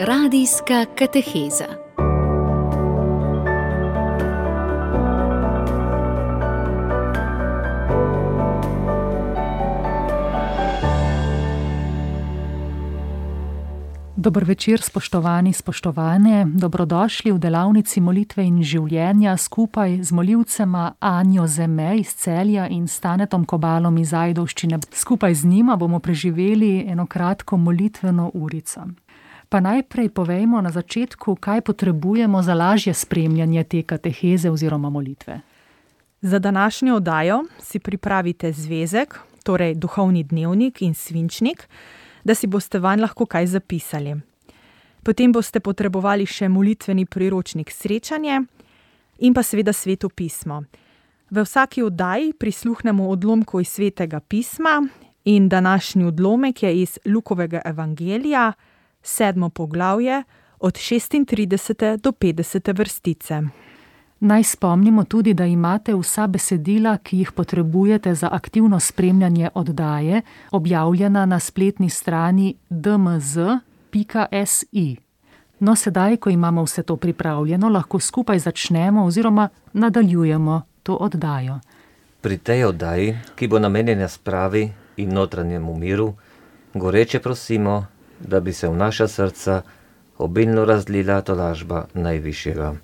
Radijska kateheza. Dober večer, spoštovani, spoštovane. Dobrodošli v delavnici molitve in življenja skupaj z molivcema Anjo Zeme iz Celja in Stanetom Kobalom iz Ajdovščine. Skupaj z njima bomo preživeli eno kratko molitveno urico. Pa najprej povejmo na začetku, kaj potrebujemo za lažje spremljanje te kateheze oziroma molitve. Za današnjo oddajo si pripravite zvezek, torej duhovni dnevnik in svinčnik, da si boste vanj lahko kaj zapisali. Potem boste potrebovali še molitveni priročnik Srečanje in pa seveda Sveto pismo. V vsaki oddaji prisluhnemo odlomku iz Svetega pisma in današnji odlomek je iz Lukovega evangelija, 7. poglavje, od 36. do 50. vrstice. Naj spomnimo tudi, da imate vsa besedila, ki jih potrebujete za aktivno spremljanje oddaje, objavljena na spletni strani dmz.si. No, sedaj, ko imamo vse to pripravljeno, lahko skupaj začnemo oziroma nadaljujemo to oddajo. Pri tej oddaji, ki bo namenjena spravi in notranjemu miru, goreče prosimo, da bi se v naša srca obilno razlila tolažba Najvišjega.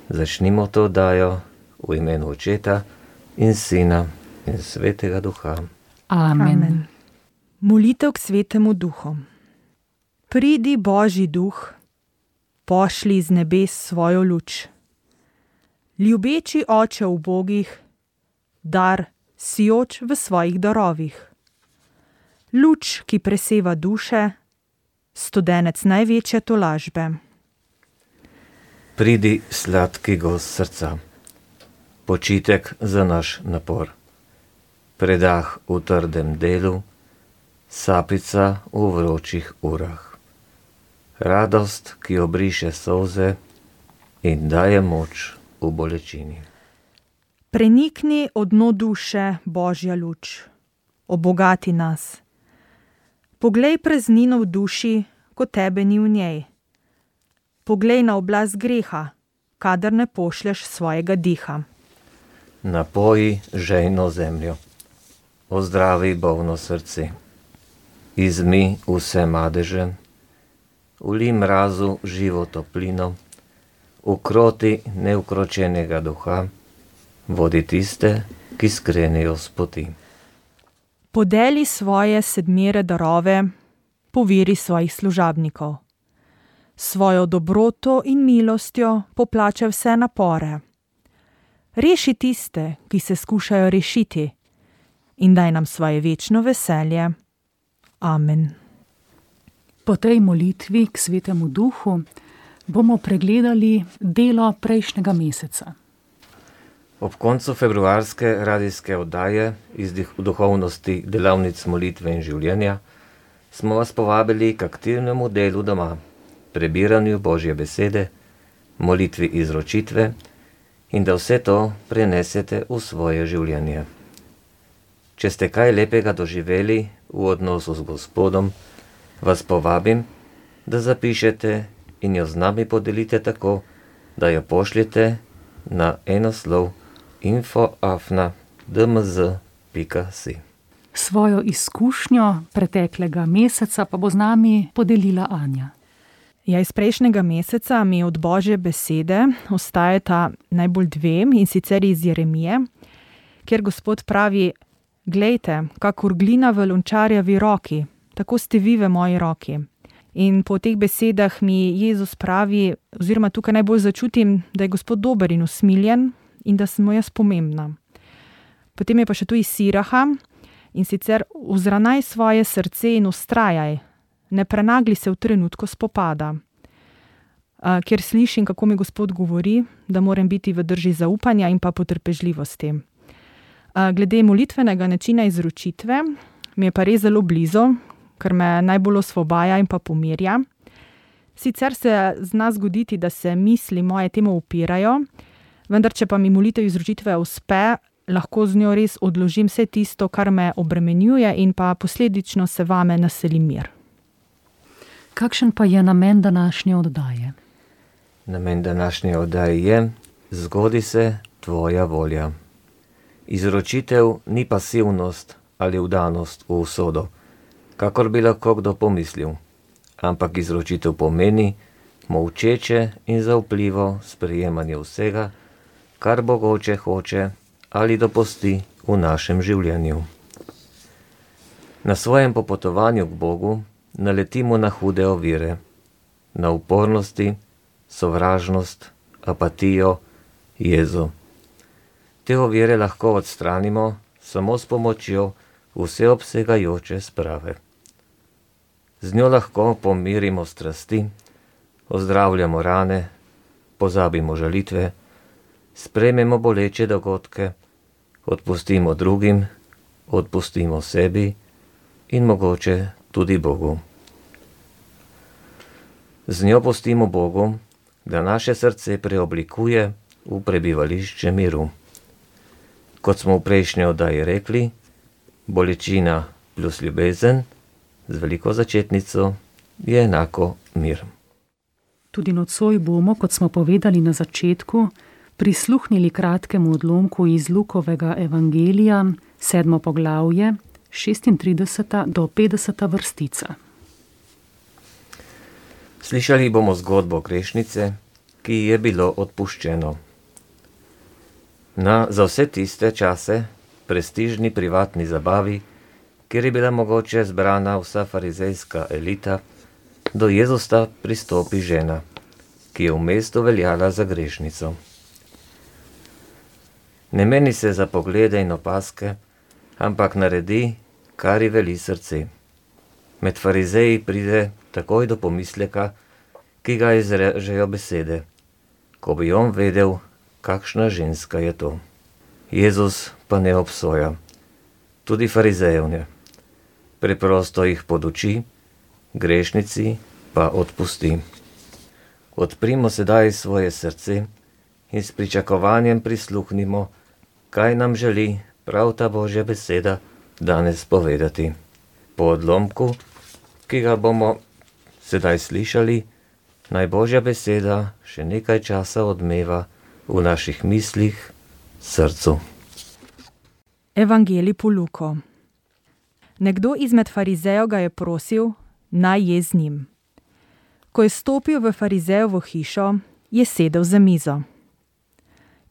Začnimo to oddajo v imenu Očeta in Sina in Svetega Duha. Amen. Molitev k Svetemu Duhu. Pridi, Božji Duh, pošli iz nebes svojo luč. Ljubeči Oče ubogih, dar sijoč v svojih darovih. Luč, ki preseva duše, studenec največje tolažbe. Pridi, sladki gost srca, počitek za naš napor, predah v trdem delu, sapica v vročih urah, radost, ki obriše solze in daje moč v bolečini. Prenikni od dno duše, Božja luč, obogati nas. Poglej praznino v duši, ko tebe ni v njej. Poglej na oblast greha, kadar ne pošlješ svojega diha. Napoji žejno zemljo, ozdravi bolno srce, izmi vse madeže, vli mrazu živo toplino, ukroti neukročenega duha, vodi tiste, ki skrenejo s poti. Podeli svoje sedmere darove, poveri svojih služabnikov. Svojo dobroto in milostjo poplača vse napore. Reši tiste, ki se skušajo rešiti, in daj nam svoje večno veselje. Amen. Po tej molitvi k Svetemu Duhu bomo pregledali delo prejšnjega meseca. Ob koncu februarske radijske oddaje iz duhovnosti delavnic molitve in življenja smo vas povabili k aktivnemu delu doma, prebiranju Božje besede, molitvi izročitve in da vse to prenesete v svoje življenje. Če ste kaj lepega doživeli v odnosu z Gospodom, vas povabim, da zapišete in jo z nami podelite tako, da jo pošljete na enoslov info@dmz.si. Svojo izkušnjo preteklega meseca pa bo z nami podelila Anja. Ja, iz prejšnjega meseca mi od Božje besede ostajata najbolj dve, in sicer iz Jeremije, kjer Gospod pravi: glejte, kakor glina v lončarjevi roki, tako ste vi v moji roki. In po teh besedah mi Jezus pravi, oziroma tukaj najbolj začutim, da je Gospod dober in usmiljen in da sem mu jaz pomembna. Potem je pa še tu iz Siraha, in sicer: vzravnaj svoje srce in ustrajaj, ne prenagli se v trenutku spopada. Kjer slišim, kako mi Gospod govori, da moram biti v drži zaupanja in pa potrpežljivosti. Glede molitvenega načina izročitve mi je pa res zelo blizu, ker me najbolj osvobaja in pa pomirja. Sicer se zna zgoditi, da se misli moje temu upirajo, vendar če pa mi molitev izročitve uspe, lahko z njo res odložim vse tisto, kar me obremenjuje, in pa posledično se vame naseli mir. K Kakšen pa je namen današnje oddaje? Namen današnje oddaje je: zgodi se tvoja volja. Izročitev ni pasivnost ali vdanost v usodo, kakor bi lahko kdo pomislil, ampak izročitev pomeni molčeče in zaupljivo sprejemanje vsega, kar Bog Oče hoče ali dopusti v našem življenju. Na svojem popotovanju k Bogu naletimo na hude ovire, na upornosti, sovražnost, apatijo, jezo. Te ovire lahko odstranimo samo s pomočjo vseobsegajoče sprave. Z njo lahko pomirimo strasti, ozdravljamo rane, pozabimo žalitve, sprejmemo boleče dogodke, odpustimo drugim, odpustimo sebi in mogoče tudi Bogu. Z njo pustimo Bogu, da naše srce preoblikuje v prebivališče miru. Kot smo v prejšnji oddaji rekli, bolečina plus ljubezen z veliko začetnico je enako mir. Tudi nocoj bomo, kot smo povedali na začetku, prisluhnili kratkemu odlomku iz Lukovega evangelija, 7. poglavje, 36. do 50. vrstica. Slišali bomo zgodbo grešnice, ki ji je bilo odpuščeno. Za vse tiste čase, prestižni privatni zabavi, kjer je bila mogoče zbrana vsa farizejska elita, do Jezusa pristopi žena, ki je v mestu veljala za grešnico. Ne meni se za poglede in opaske, ampak naredi, kar ji veli srce. Med farizeji pride takoj do pomisleka, ki ga izrežejo besede, ko bi on vedel, kakšna ženska je to. Jezus pa ne obsoja, tudi farizejev ne. Preprosto jih poduči, grešnici pa odpusti. Odprimo sedaj svoje srce in s pričakovanjem prisluhnimo, kaj nam želi prav ta Božja beseda danes povedati. Po odlomku, ki ga bomo sedaj slišali, naj Božja beseda še nekaj časa odmeva v naših mislih, srcu. Evangelij po Luko. Nekdo izmed farizejev ga je prosil, naj je z njim. Ko je stopil v farizejevo hišo, je sedel za mizo.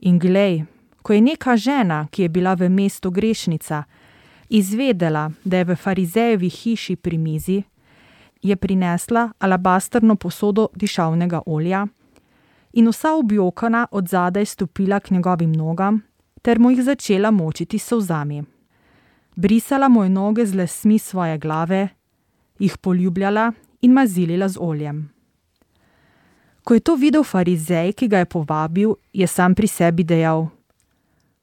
In glej, ko je neka žena, ki je bila v mestu grešnica, izvedela, da je v farizejevi hiši pri mizi, je prinesla alabastrno posodo dišavnega olja in vsa objokana od zadaj stopila k njegovim nogam ter mu jih začela močiti s solzami. Brisala mu je noge z lasmi svoje glave, jih poljubljala in mazilila z oljem. Ko je to videl farizej, ki ga je povabil, je sam pri sebi dejal: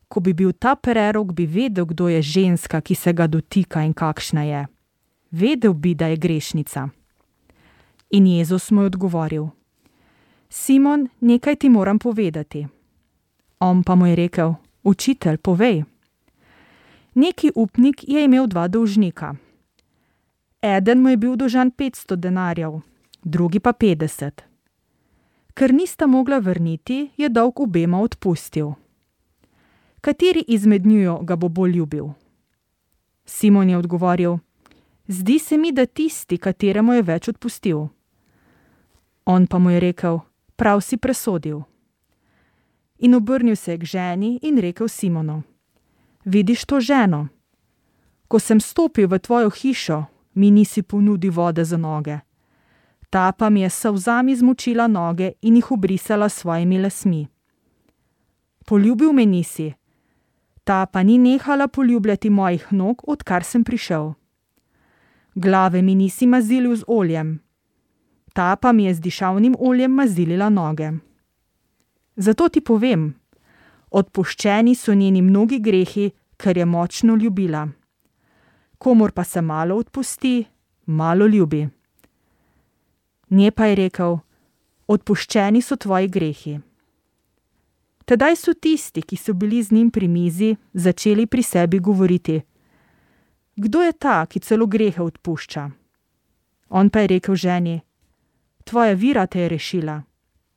ko bi bil ta prerok, bi vedel, kdo je ženska, ki se ga dotika in kakšna je. Vedel bi, da je grešnica. In Jezus mu je odgovoril: Simon, nekaj ti moram povedati. On pa mu je rekel: Učitelj, povej. Neki upnik je imel 2 dolžnika. Eden mu je bil dolžan 500 denarjev, drugi pa 50. Ker nista mogla vrniti, je dolg obema odpustil. Kateri izmed njiju ga bo bolj ljubil? Simon je odgovoril: Zdi se mi, da tisti, kateremu je več odpustil. On pa mu je rekel: Prav si presodil. In obrnil se je k ženi in rekel Simonu: Vidiš to ženo? Ko sem stopil v tvojo hišo, mi nisi ponudil vode za noge. Ta pa mi je s solzami zmočila noge in jih obrisala s svojimi lasmi. Poljubil me nisi. Ta pa ni nehala poljubljati mojih nog, odkar sem prišel. Glave mi nisi mazilil z oljem. Ta pa mi je z dišavnim oljem mazilila noge. Zato ti povem, odpuščeni so njeni mnogi grehi, ker je močno ljubila. Komur pa se malo odpusti, malo ljubi. Nje pa je rekel: Odpuščeni so tvoji grehi. Tedaj so tisti, ki so bili z njim pri mizi, začeli pri sebi govoriti: Kdo je ta, ki celo grehe odpušča? On pa je rekel ženi: tvoja vira te je rešila.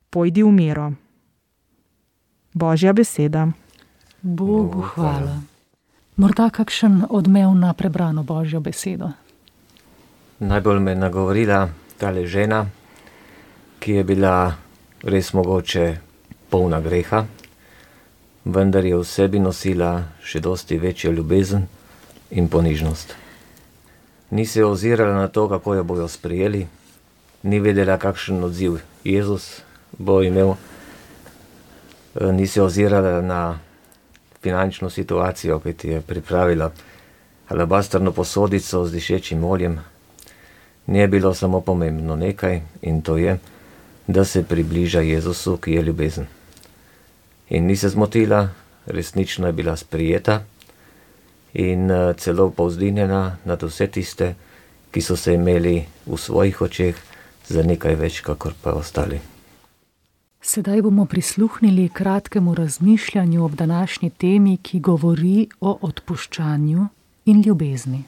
Pojdi v miro. Božja beseda. Bogu hvala. Morda kakšen odmev na prebrano Božjo besedo? Najbolj me je nagovorila tale žena, ki je bila res mogoče polna greha, vendar je v sebi nosila še dosti večjo ljubezen in ponižnost. Ni se ozirala na to, kako jo bojo sprejeli, ni vedela, kakšen odziv Jezus bo imel, ni se ozirala na finančno situacijo, ki ti je pripravila alabastrno posodico z dišečim oljem. Ni bilo samo pomembno nekaj, in to je, da se približa Jezusu, ki je ljubezen. In ni se zmotila, resnično je bila sprijeta in celo povzdignjena nad vse tiste, ki so se imeli v svojih očeh za nekaj več, kakor pa ostali. Sedaj bomo prisluhnili kratkemu razmišljanju ob današnji temi, ki govori o odpuščanju in ljubezni.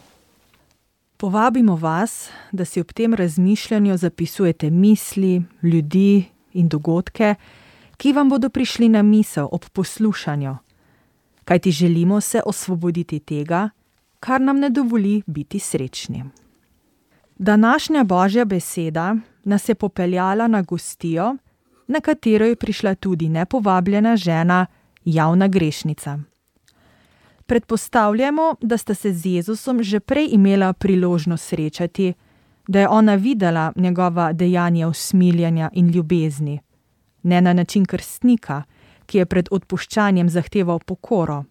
Povabimo vas, da si ob tem razmišljanju zapisujete misli, ljudi in dogodke, ki vam bodo prišli na misel ob poslušanju, kajti želimo se osvoboditi tega, kar nam ne dovoli biti srečni. Današnja Božja beseda nas je popeljala na gostijo, na katero je prišla tudi nepovabljena žena, javna grešnica. Predpostavljamo, da sta se z Jezusom že prej imela priložnost srečati, da je ona videla njegova dejanja usmiljenja in ljubezni, ne na način krstnika, ki je pred odpuščanjem zahteval pokoro,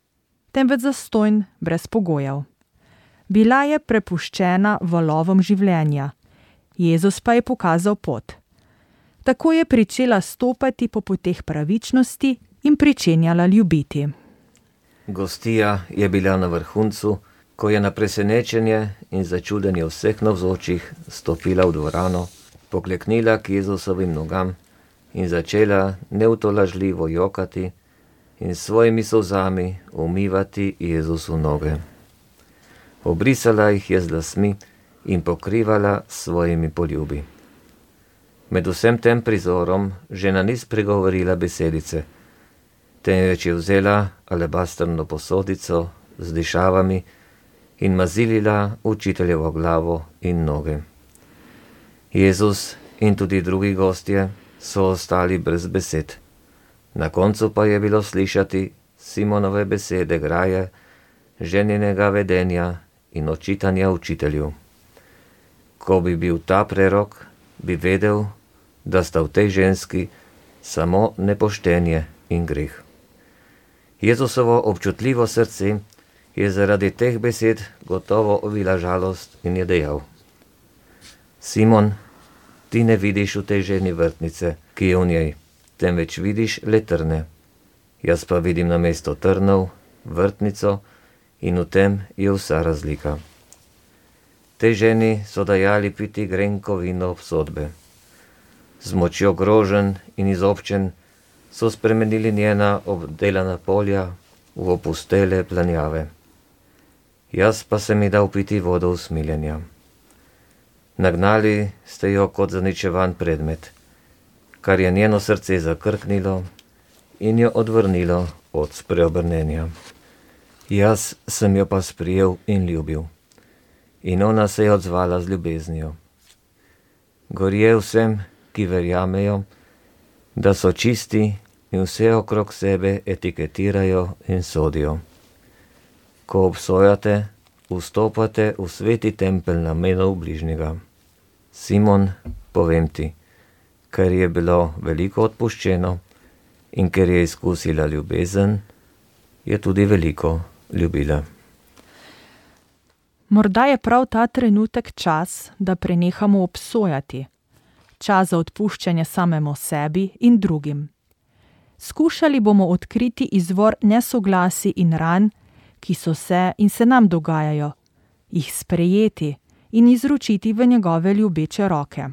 temveč zastonj brez pogojev. Bila je prepuščena valovom življenja, Jezus pa je pokazal pot. Tako je pričela stopati po poteh pravičnosti in pričenjala ljubiti. Gostija je bila na vrhuncu, ko je na presenečenje in začudenje vseh navzočih stopila v dvorano, pokleknila k Jezusovim nogam in začela neutolažljivo jokati in svojimi solzami umivati Jezusu noge. Obrisala jih je z lasmi in pokrivala svojimi poljubi. Med vsem tem prizorom žena ni spregovorila besedice, temveč je vzela alabastrno posodico z dišavami in mazilila učiteljevo glavo in noge. Jezus in tudi drugi gostje so ostali brez besed. Na koncu pa je bilo slišati Simonove besede graje, ženinega vedenja in očitanja učitelju. Ko bi bil ta prerok, bi vedel, da sta v tej ženski samo nepoštenje in greh. Jezusovo občutljivo srce je zaradi teh besed gotovo ovila žalost in je dejal: Simon, ti ne vidiš v tej ženi vrtnice, ki je v njej, temveč vidiš le trne. Jaz pa vidim namesto trnov vrtnico in v tem je vsa razlika. Tej ženi so dajali piti grenko vino obsodbe. Z močjo groženj in izobčen so spremenili njena obdelana polja v opustele planjave. Jaz pa sem ji dal piti vodo usmiljenja. Nagnali ste jo kot zaničevan predmet, kar je njeno srce zakrknilo in jo odvrnilo od spreobrnenja. Jaz sem jo pa sprijel in ljubil, in ona se je odzvala z ljubeznijo. Gorje vsem, ki verjamejo, da so čisti in vse okrog sebe etiketirajo in sodijo. Ko obsojate, vstopate v sveti tempelj namenov bližnjega. Simon, povem ti, ker je bilo veliko odpuščeno in ker je izkusila ljubezen, je tudi veliko ljubila. Morda je prav ta trenutek čas, da prenehamo obsojati. Čas za odpuščanje samemu sebi in drugim. Skušali bomo odkriti izvor nesoglasij in ran, ki so se in se nam dogajajo, jih sprejeti in izročiti v njegove ljubeče roke.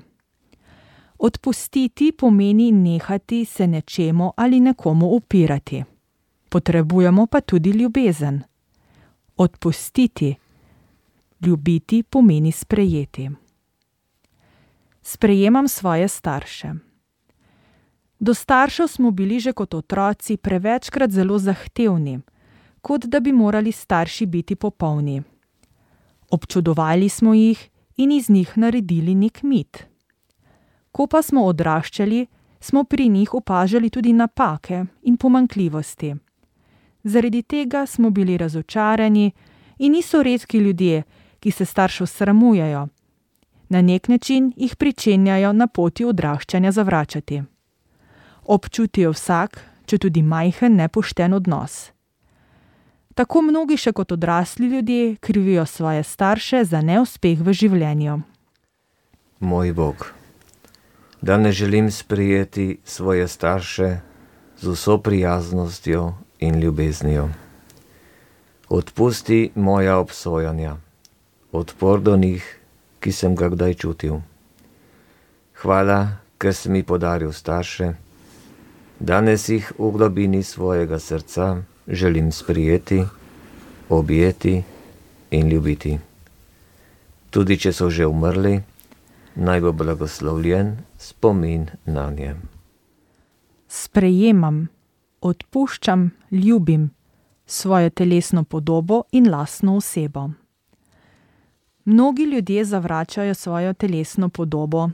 Odpustiti pomeni nehati se nečemu ali nekomu upirati. Potrebujemo pa tudi ljubezen. Odpustiti, ljubiti pomeni sprejeti. Sprejemam svoje starše. Do staršev smo bili že kot otroci prevečkrat zelo zahtevni, kot da bi morali starši biti popolni. Občudovali smo jih in iz njih naredili nek mit. Ko pa smo odraščali, smo pri njih opažali tudi napake in pomanjkljivosti. Zaradi tega smo bili razočarani in niso redki ljudje, ki se staršev sramujejo. Na nek način jih pričenjajo na poti odraščanja zavračati. Občutijo vsak, če tudi majhen, nepošten odnos. Tako mnogi še kot odrasli ljudje krivijo svoje starše za neuspeh v življenju. Moj Bog, danes želim sprejeti svoje starše z vso prijaznostjo in ljubeznijo. Odpusti moja obsojanja, odpor do njih, ki sem ga kdaj čutil. Hvala, ker si mi podaril starše. Danes jih v globini svojega srca želim sprijeti, objeti in ljubiti. Tudi če so že umrli, naj bo blagoslovljen spomin na nje. Sprejemam, odpuščam, ljubim svojo telesno podobo in lastno osebo. Mnogi ljudje zavračajo svojo telesno podobo,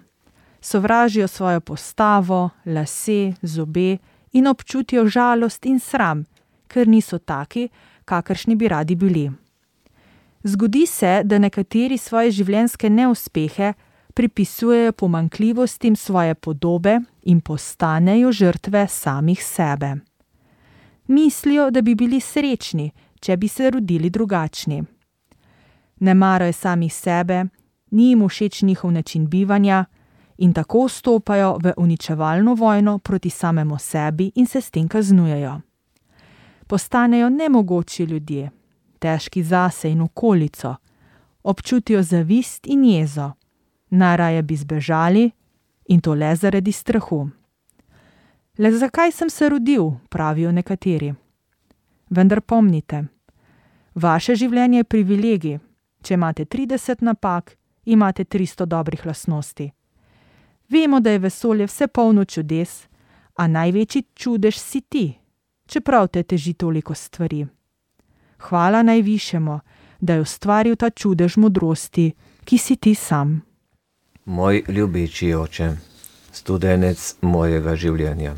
sovražijo svojo postavo, lase, zobe in občutijo žalost in sram, ker niso taki, kakršni bi radi bili. Zgodi se, da nekateri svoje življenjske neuspehe pripisujejo pomanjkljivostim svoje podobe in postanejo žrtve samih sebe. Mislijo, da bi bili srečni, če bi se rodili drugačni. Ne marajo samih sebe, ni jim všeč njihov način bivanja in tako vstopajo v uničevalno vojno proti samemu sebi in se s tem kaznujejo. Postanejo nemogoči ljudje, težki zase in okolico, občutijo zavist in jezo, najraje bi zbežali in to le zaradi strahu. Le zakaj sem se rodil, pravijo nekateri. Vendar pomnite, vaše življenje je privilegij. Če imate 30 napak, imate 300 dobrih lastnosti. Vemo, da je vesolje vse polno čudes, a največji čudež si ti, čeprav te teži toliko stvari. Hvala najvišjemu, da je ustvaril ta čudež modrosti, ki si ti sam. Moj ljubeči oče, studenec mojega življenja,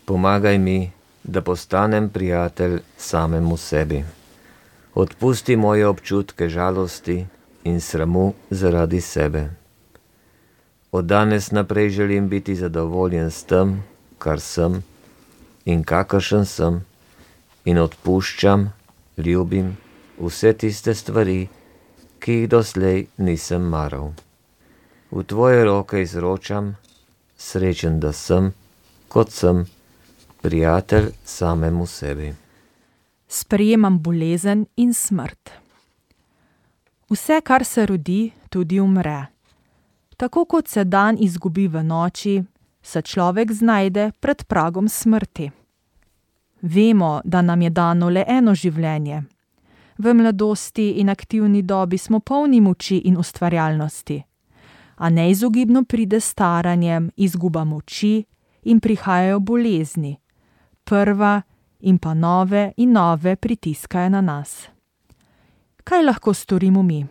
pomagaj mi, da postanem prijatelj samemu sebi. Odpusti moje občutke žalosti in sramu zaradi sebe. Od danes naprej želim biti zadovoljen s tem, kar sem in kakršen sem, in odpuščam, ljubim vse tiste stvari, ki jih doslej nisem maral. V tvoje roke izročam, srečen, da sem, kot sem, prijatelj samemu sebi. Sprejemam bolezen in smrt. Vse, kar se rodi, tudi umre. Tako kot se dan izgubi v noči, se človek znajde pred pragom smrti. Vemo, da nam je dano le eno življenje. V mladosti in aktivni dobi smo polni moči in ustvarjalnosti, a neizogibno pride staranjem, izguba moči in prihajajo bolezni. Prva in pa nove in nove pritiskajo na nas. Kaj lahko storimo mi?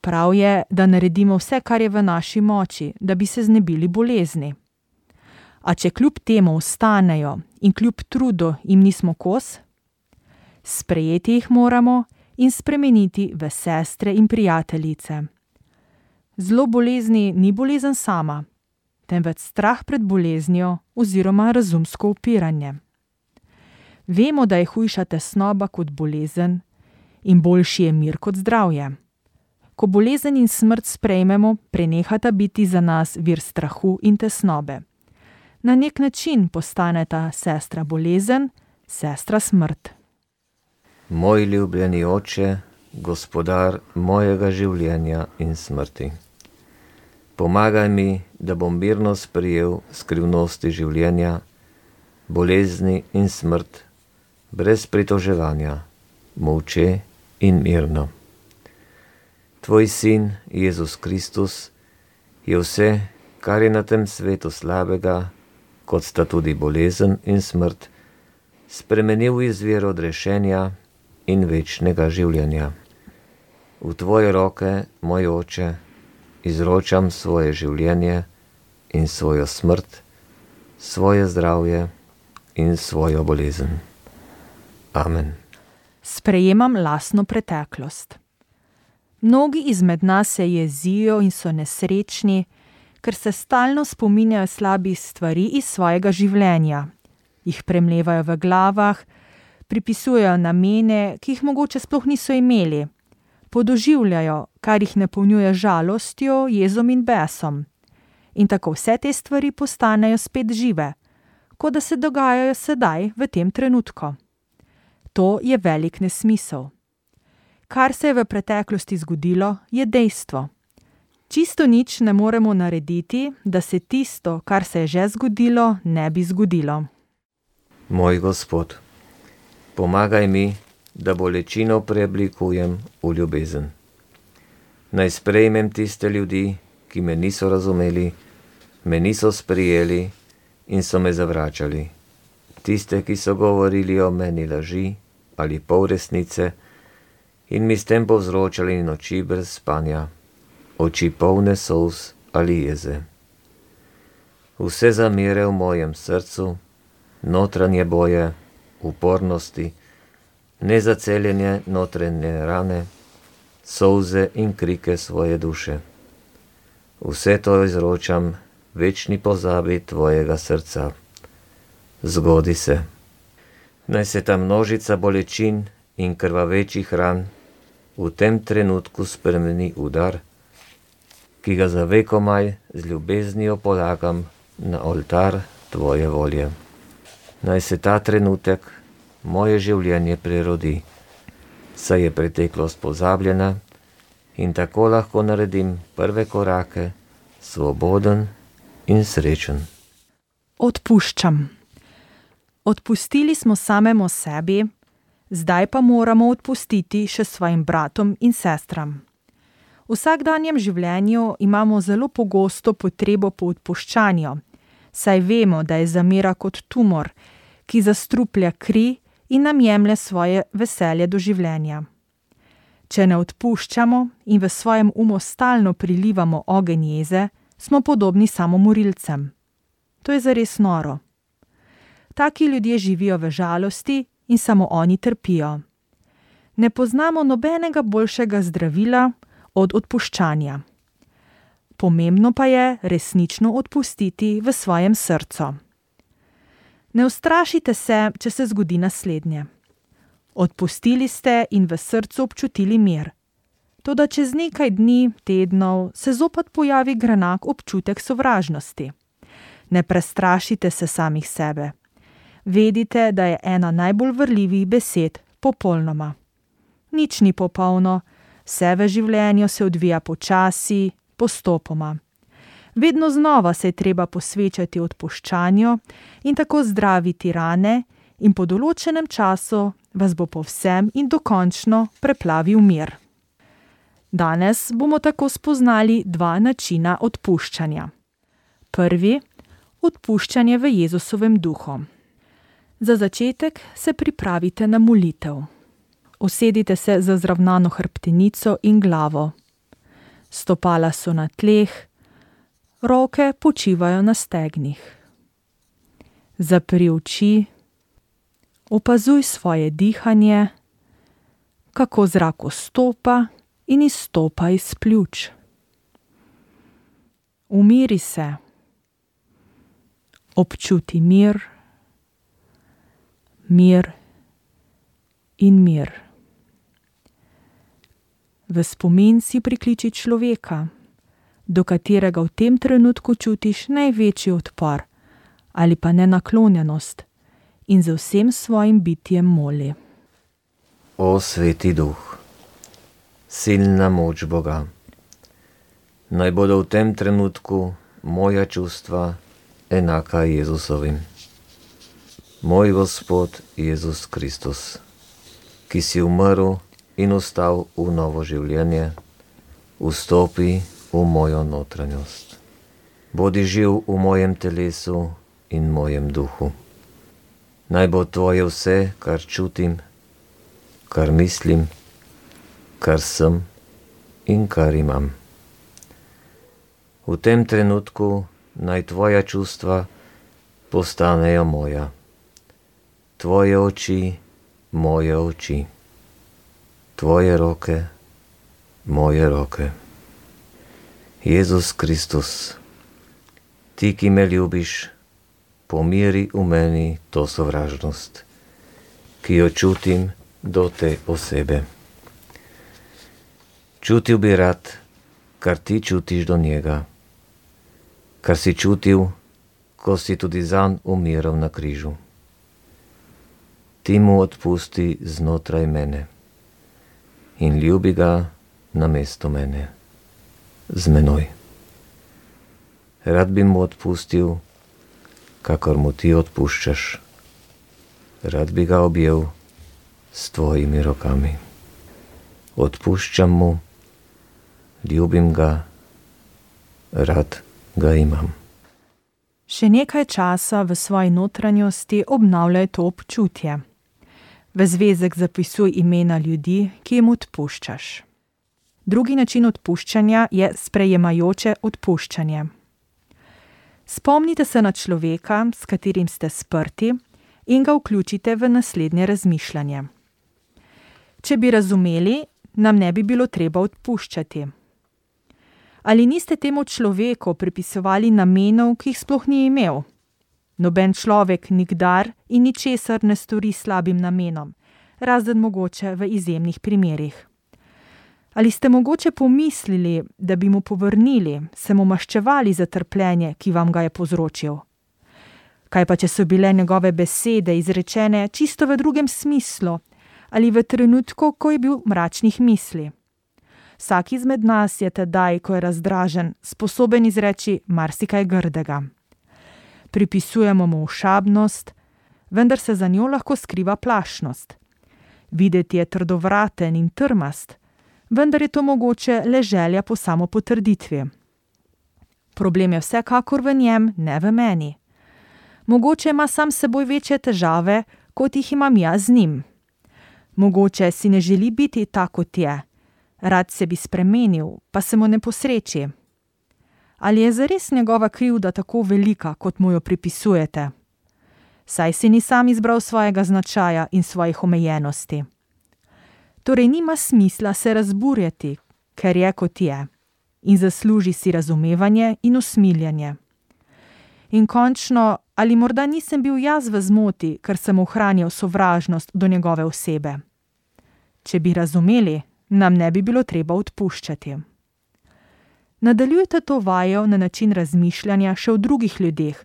Prav je, da naredimo vse, kar je v naši moči, da bi se znebili bolezni. A če kljub temu ostanejo in kljub trudu jim nismo kos, sprejeti jih moramo in spremeniti v sestre in prijateljice. Zlo bolezni ni bolezen sama, temveč strah pred boleznijo oziroma razumsko upiranje. Vemo, da je hujša tesnoba kot bolezen in boljši je mir kot zdravje. Ko bolezen in smrt sprejmemo, prenehata biti za nas vir strahu in tesnobe. Na nek način postaneta sestra bolezen, sestra smrt. Moj ljubljeni oče, gospodar mojega življenja in smrti. Pomagaj mi, da bom mirno sprejel skrivnosti življenja, bolezni in smrt, brez pritoževanja, molče in mirno. Tvoj sin, Jezus Kristus, je vse, kar je na tem svetu slabega, kot sta tudi bolezen in smrt, spremenil v izvir odrešenja in večnega življenja. V tvoje roke, moj oče, izročam svoje življenje in svojo smrt, svoje zdravje in svojo bolezen. Amen. Sprejemam lastno preteklost. Mnogi izmed nas se jezijo in so nesrečni, ker se stalno spominjajo slabih stvari iz svojega življenja. Jih premlevajo v glavah, pripisujejo namene, ki jih mogoče sploh niso imeli. Podoživljajo, kar jih napolnjuje žalostjo, jezom in besom. In tako vse te stvari postanejo spet žive, kot da se dogajajo sedaj, v tem trenutku. To je velik nesmisel. Kar se je v preteklosti zgodilo, je dejstvo. Čisto nič ne moremo narediti, da se tisto, kar se je že zgodilo, ne bi zgodilo. Moj Gospod, pomagaj mi, da bolečino preoblikujem v ljubezen. Naj sprejmem tiste ljudi, ki me niso razumeli, me niso sprijeli in so me zavračali. Tiste, ki so govorili o meni laži ali pol resnice in mi s tem povzročali noči brez spanja, oči polne solz ali jeze. Vse zamere v mojem srcu, notranje boje, upornosti, nezaceljenje notranje rane, solze in krike svoje duše. Vse to izročam večni pozabi tvojega srca. Zgodi se. Naj se ta množica bolečin in krvavečih ran v tem trenutku spremeni v dar, ki ga za vekomaj z ljubeznijo polagam na oltar tvoje volje. Naj se ta trenutek moje življenje prerodi, saj je preteklost pozabljena in tako lahko naredim prve korake, svoboden in srečen. Odpuščam. Odpustili smo samemu sebi, zdaj pa moramo odpustiti še svojim bratom in sestram. V vsakdanjem življenju imamo zelo pogosto potrebo po odpuščanju, saj vemo, da je zamera kot tumor, ki zastruplja kri in nam jemlje svoje veselje do življenja. Če ne odpuščamo in v svojem umu stalno prilivamo ogenj jeze, smo podobni samomorilcem. To je zares noro. Taki ljudje živijo v žalosti in samo oni trpijo. Ne poznamo nobenega boljšega zdravila od odpuščanja. Pomembno pa je resnično odpustiti v svojem srcu. Ne ustrašite se, če se zgodi naslednje. Odpustili ste in v srcu občutili mir. Toda čez nekaj dni, tednov se zopet pojavi grenak občutek sovražnosti. Ne prestrašite se samih sebe. Vedite, da je ena najbolj vrljivih besed popolnoma. Nič ni popolno, vse v življenju se odvija počasi, postopoma. Vedno znova se je treba posvečati odpuščanju in tako zdraviti rane in po določenem času vas bo povsem in dokončno preplavil mir. Danes bomo tako spoznali dva načina odpuščanja. Prvi, odpuščanje v Jezusovem duhu. Za začetek se pripravite na molitev. Usedite se za zravnano hrbtenico in glavo. Stopala so na tleh, roke počivajo na stegnih. Zapri oči, opazuj svoje dihanje, kako zrak vstopa in izstopa iz pljuč. Umiri se, občuti mir, mir in mir. V spomin si prikliči človeka, do katerega v tem trenutku čutiš največji odpor ali pa nenaklonjenost in z vsem svojim bitjem moli. O Sveti Duh, silna moč Boga, naj bodo v tem trenutku moja čustva enaka Jezusovim. Moj Gospod Jezus Kristus, ki si umrl in vstal v novo življenje, vstopi v mojo notranjost. Bodi živ v mojem telesu in mojem duhu. Naj bo tvoje vse, kar čutim, kar mislim, kar sem in kar imam. V tem trenutku naj tvoja čustva postanejo moja. Tvoje oči, moje oči. Tvoje roke, moje roke. Jezus Kristus, ti, ki me ljubiš, pomiri v meni to sovražnost, ki jo čutim do te osebe. Čutil bi rad, kar ti čutiš do njega, kar si čutil, ko si tudi zanj umiral na križu. Ti mu odpusti znotraj mene in ljubi ga namesto mene, z menoj. Rad bi mu odpustil, kakor mu ti odpuščaš. Rad bi ga objel s tvojimi rokami. Odpuščam mu, ljubim ga, rad ga imam. Še nekaj časa v svoji notranjosti obnavljaj to občutje. V zvezek zapisuj imena ljudi, ki jim odpuščaš. Drugi način odpuščanja je sprejemajoče odpuščanje. Spomnite se na človeka, s katerim ste sprti, in ga vključite v naslednje razmišljanje. Če bi razumeli, nam ne bi bilo treba odpuščati. Ali niste temu človeku pripisovali namenov, ki jih sploh ni imel? Noben človek nikdar in ničesar ne stori slabim namenom, razen mogoče v izjemnih primerih. Ali ste mogoče pomislili, da bi mu povrnili, se mu maščevali za trpljenje, ki vam ga je povzročil? Kaj pa, če so bile njegove besede izrečene čisto v drugem smislu ali v trenutku, ko je bil mračnih misli? Vsak izmed nas je tedaj, ko je razdražen, sposoben izreči marsikaj grdega. Pripisujemo mu ošabnost, vendar se za njo lahko skriva plašnost. Videti je trdovraten in trmast, vendar je to mogoče le želja po samopotrditvi. Problem je vsekakor v njem, ne v meni. Mogoče ima sam s seboj večje težave, kot jih imam jaz z njim. Mogoče si ne želi biti tak, kot je. Rad se bi spremenil, pa se mu ne posreči. Ali je zares njegova krivda tako velika, kot mu jo pripisujete? Saj si ni sam izbral svojega značaja in svojih omejenosti. Torej nima smisla se razburjati, ker je, kot je, in zasluži si razumevanje in usmiljanje. In končno, ali morda nisem bil jaz v zmoti, ker sem ohranjal sovražnost do njegove osebe? Če bi razumeli, nam ne bi bilo treba odpuščati. Nadaljujte to vajo na način razmišljanja še o drugih ljudeh,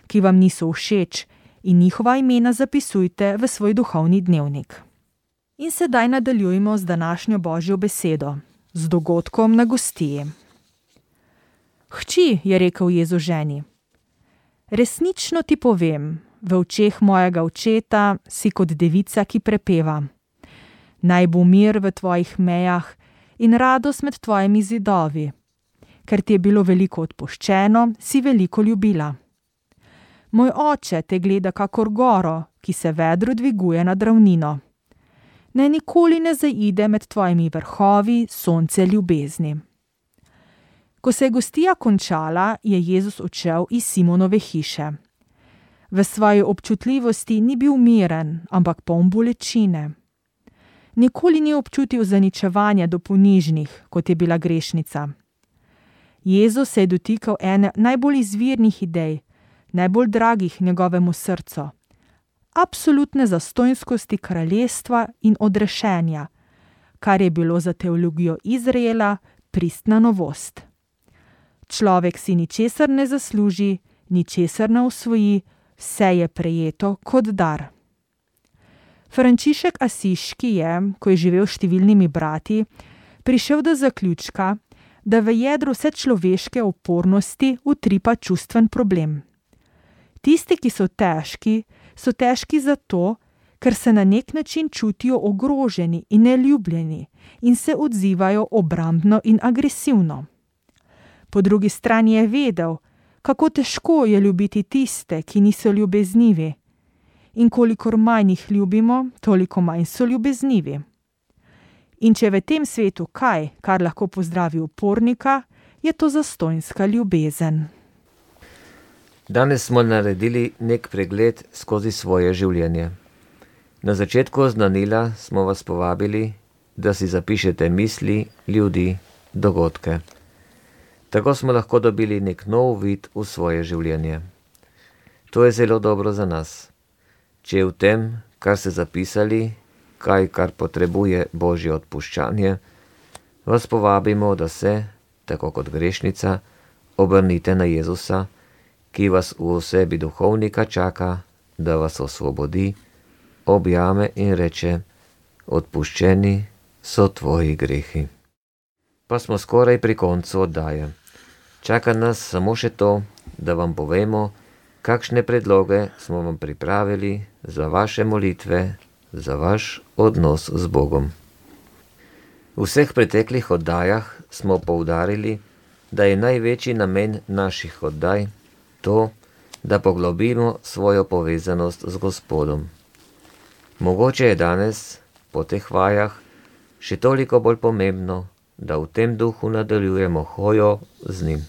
ki vam niso všeč, in njihova imena zapisujte v svoj duhovni dnevnik. In sedaj nadaljujemo z današnjo Božjo besedo, z dogodkom na gostiji. Hči, je rekel Jezus ženi, resnično ti povem, v očeh mojega očeta si kot devica, ki prepeva. Naj bo mir v tvojih mejah in radost med tvojimi zidovi. Ker ti je bilo veliko odpuščeno, si veliko ljubila. Moj oče te gleda kakor goro, ki se vedro dviguje nad ravnino. Naj nikoli ne zaide med tvojimi vrhovi sonce ljubezni. Ko se je gostija končala, je Jezus odšel iz Simonove hiše. V svoji občutljivosti ni bil miren, ampak poln bolečine. Nikoli ni občutil zaničevanja do ponižnih, kot je bila grešnica. Jezus se je dotikal ene najbolj izvirnih idej, najbolj dragih njegovemu srcu, absolutne zastonjskosti kraljestva in odrešenja, kar je bilo za teologijo Izraela pristna novost. Človek si ničesar ne zasluži, ničesar ne osvoji, vse je prejeto kot dar. Frančišek Asiški je, ko je živel s številnimi brati, prišel do zaključka, da v jedru vse človeške opornosti utripa čustven problem. Tisti, ki so težki zato, ker se na nek način čutijo ogroženi in neljubljeni in se odzivajo obrambno in agresivno. Po drugi strani je vedel, kako težko je ljubiti tiste, ki niso ljubeznivi. In kolikor manj jih ljubimo, toliko manj so ljubeznivi. In če je v tem svetu kaj, kar lahko pozdravi upornika, je to zastonjska ljubezen. Danes smo naredili nek pregled skozi svoje življenje. Na začetku oznanila smo vas povabili, da si zapišete misli, ljudi, dogodke. Tako smo lahko dobili nek nov vid v svoje življenje. To je zelo dobro za nas. Če je v tem, kar ste zapisali, kaj, kar potrebuje Božje odpuščanje, vas povabimo, da se, tako kot grešnica, obrnite na Jezusa, ki vas v osebi duhovnika čaka, da vas osvobodi, objame in reče: odpuščeni so tvoji grehi. Pa smo skoraj pri koncu oddaje. Čaka nas samo še to, da vam povemo, kakšne predloge smo vam pripravili za vaše molitve, za vaš odnos z Bogom. V vseh preteklih oddajah smo poudarili, da je največji namen naših oddaj to, da poglobimo svojo povezanost z Gospodom. Mogoče je danes, po teh vajah, še toliko bolj pomembno, da v tem duhu nadaljujemo hojo z njim.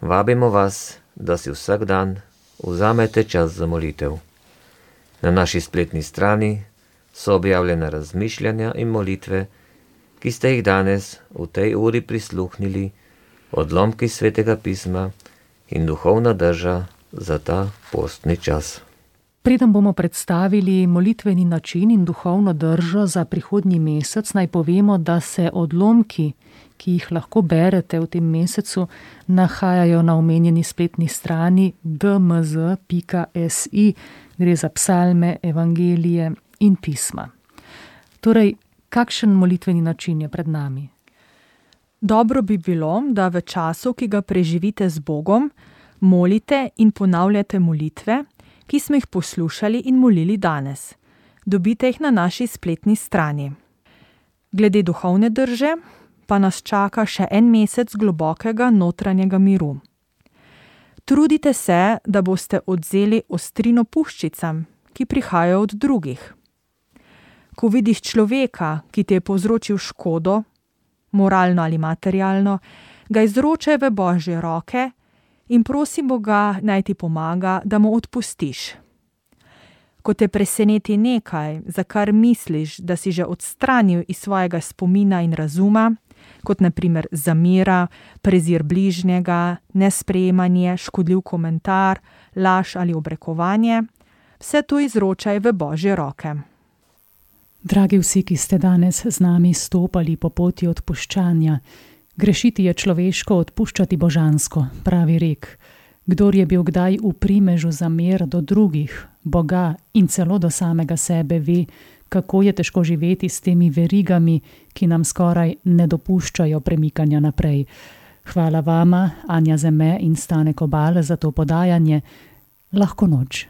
Vabimo vas, da si vsak dan vzamete čas za molitev. Na naši spletni strani so objavljena razmišljanja in molitve, ki ste jih danes v tej uri prisluhnili, odlomki Svetega pisma in duhovna drža za ta postni čas. Preden bomo predstavili molitveni način in duhovno držo za prihodnji mesec, naj povemo, da se odlomki, ki jih lahko berete v tem mesecu, nahajajo na omenjeni spletni strani dmz.si. Gre za psalme, evangelije in pisma. Torej, kakšen molitveni način je pred nami? Dobro bi bilo, da v času, ki ga preživite z Bogom, molite in ponavljate molitve, ki smo jih poslušali in molili danes. Dobite jih na naši spletni strani. Glede duhovne drže pa nas čaka še en mesec globokega notranjega miru. Trudite se, da boste odvzeli ostrino puščicam, ki prihajajo od drugih. Ko vidiš človeka, ki ti je povzročil škodo, moralno ali materialno, ga izročaj v Božje roke in prosi Boga, naj ti pomaga, da mu odpustiš. Ko te preseneti nekaj, za kar misliš, da si že odstranil iz svojega spomina in razuma, kot na primer zamera, prezir bližnjega, nesprejemanje, škodljiv komentar, laž ali obrekovanje, vse to izročaj v Božje roke. Dragi vsi, ki ste danes z nami stopali po poti odpuščanja, grešiti je človeško, odpuščati božansko, pravi rek. Kdor je bil kdaj v primežu zamer do drugih, Boga in celo do samega sebe, ve, kako je težko živeti s temi verigami, ki nam skoraj ne dopuščajo premikanja naprej. Hvala vama, Anja Zeme in Stane Kobal, za to podajanje. Lahko noč.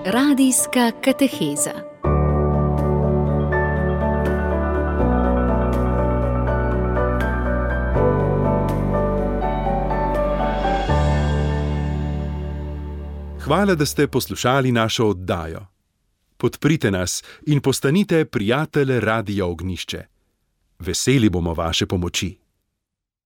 Radijska kateheza. Hvala, da ste poslušali našo oddajo. Podprite nas in postanite prijatelj Radia Ognjišče. Veseli bomo vaše pomoči.